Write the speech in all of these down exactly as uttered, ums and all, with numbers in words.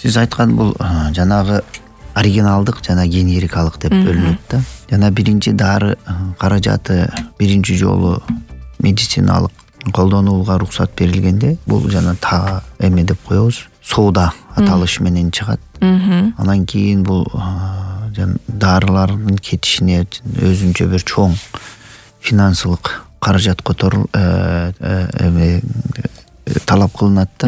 Сиз айткан бул жанагы оригиналдык жана генерикалык деп бөлүнөт да. Жана биринчи дары каражаты биринчи жолу медициналык колдонууга уруксат берилгенде бул жана та эме деп коебуз, соода аталышы менен чыгат. Анан кийин бул дарылардын кетишине өзүнчө бир чоң финансылык каражат которул эме талап кылынат да.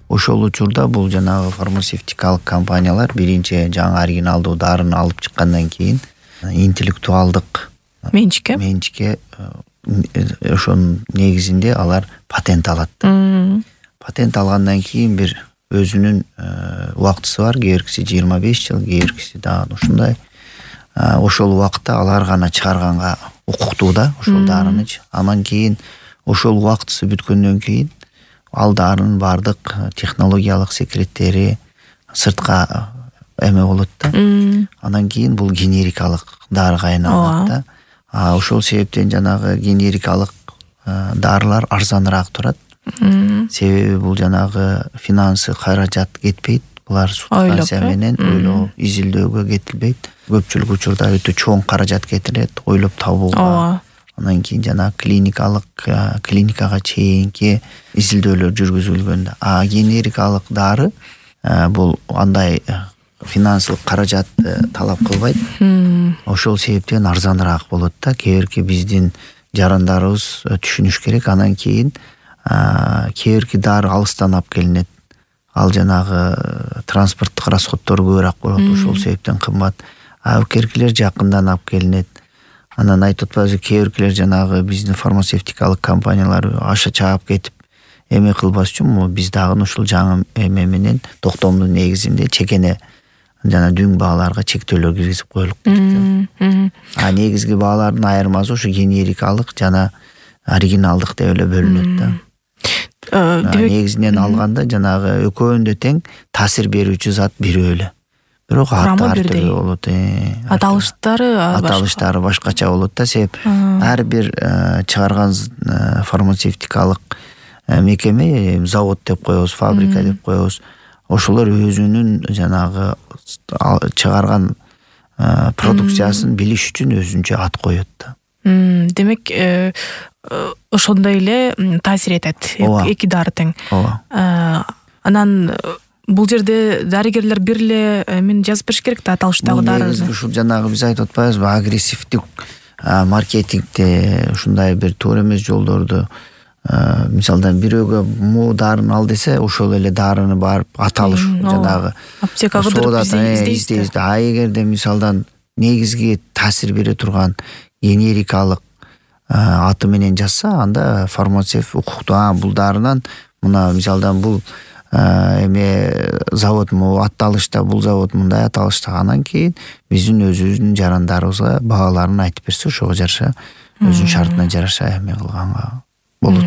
Ошол учурда бул жанагы фармацевтикалык компаниялар биринчи жаңы оригиналдуу дарыны алып чыккандан кийин интеллектуалдык менчикке менчикке ошонун негизинде алар патент алат. Патент алгандан кийин бир өзүнүн убактысы бар. Кээ биркиси жыйырма беш жыл, кээ биркиси дагы ушундай. Ошол убакытта алар гана чыгарганга укуктуу да ошол дарынычы. Анан кийин ошол убактысы бүткөндөн кийин ал дарынын бардык технологиялык секреттери сыртка эме болот да. Анан кийин бул генерикалык дарыга айналат да. Ошол себептен жанагы генерикалык дарылар арзаныраак турат. Себеби бул жанагы финансы каражат кетпейт. Булар субстанция менен ойлоо изилдөөгө кетилбейт. Көпчүлүк учурда өтө чоң каражат кетирет, ойлоп табууга. Анан кийин жана клиникалык клиникага чейинки изилдөөлөр жүргүзүлгөн. А генерикалык дары бул андай финансылык каражатты талап кылбайт. Ошол себептен арзаныраак болот да. Кээ бирки биздин жарандарыбыз түшүнүш керек. Анан кийин кээ бирки дары алыстан алып келинет. Ал жанагы транспорттук расходдор көбүрөөк болот. Ошол себептен кымбат. А укеркилер жакындан алып келинет. Анан айтып атпайбызбы, кээ биркилер жанагы биздин фармацевтикалык компаниялар аша чаап кетип эме кылбас үчүн биз дагы ушул жаңы эме менен токтомдун негизинде чекене жана дүң бааларга чектөөлөр киргизип коюлуп кетти. А негизги баалардын айырмасы ушу генерикалык жана оригиналдык деп эле бөлүнөт да. Негизинен алганда жанагы экөөндө тең таасир берүүчү зат бирөө эле. Бирок аты ар түрдүү болот. Аталыштары аталыштары башкача болот да. Себеп ар бир чыгарган фармацевтикалык мекеме, завод деп коебуз, фабрика деп коебуз. Ошолор өзүнүн жанагы чыгарган продукциясын билиш үчүн өзүнчө ат коёт да. Демек, ошондой эле таасир этет эки дары тең. Анан бул жерде дарыгерлер бир эле мен жазып бериш керек да аталыштагы дарыны. Ушул жанагы биз айтып атпайбызбы, агрессивдик маркетингде ушундай бир туура эмес жолдорду, мисалдан бирөөгө могу дарыны ал десе, ошол эле дарыны барып аталыш жанагы аптекага кырдырып издейбиз. А эгерде мисалдан негизги таасир бере турган генерикалык аты менен жазса, анда фармацевт укуктуу. А бул дарынан мына мисалдан бул эме завод му аталышта, бул завод мындай аталышта, анан кийин биздин өзүбүздүн жарандарыбызга бааларын айтып берсе, ошого жараша өзүнүн шартына жараша эме кылганга болот.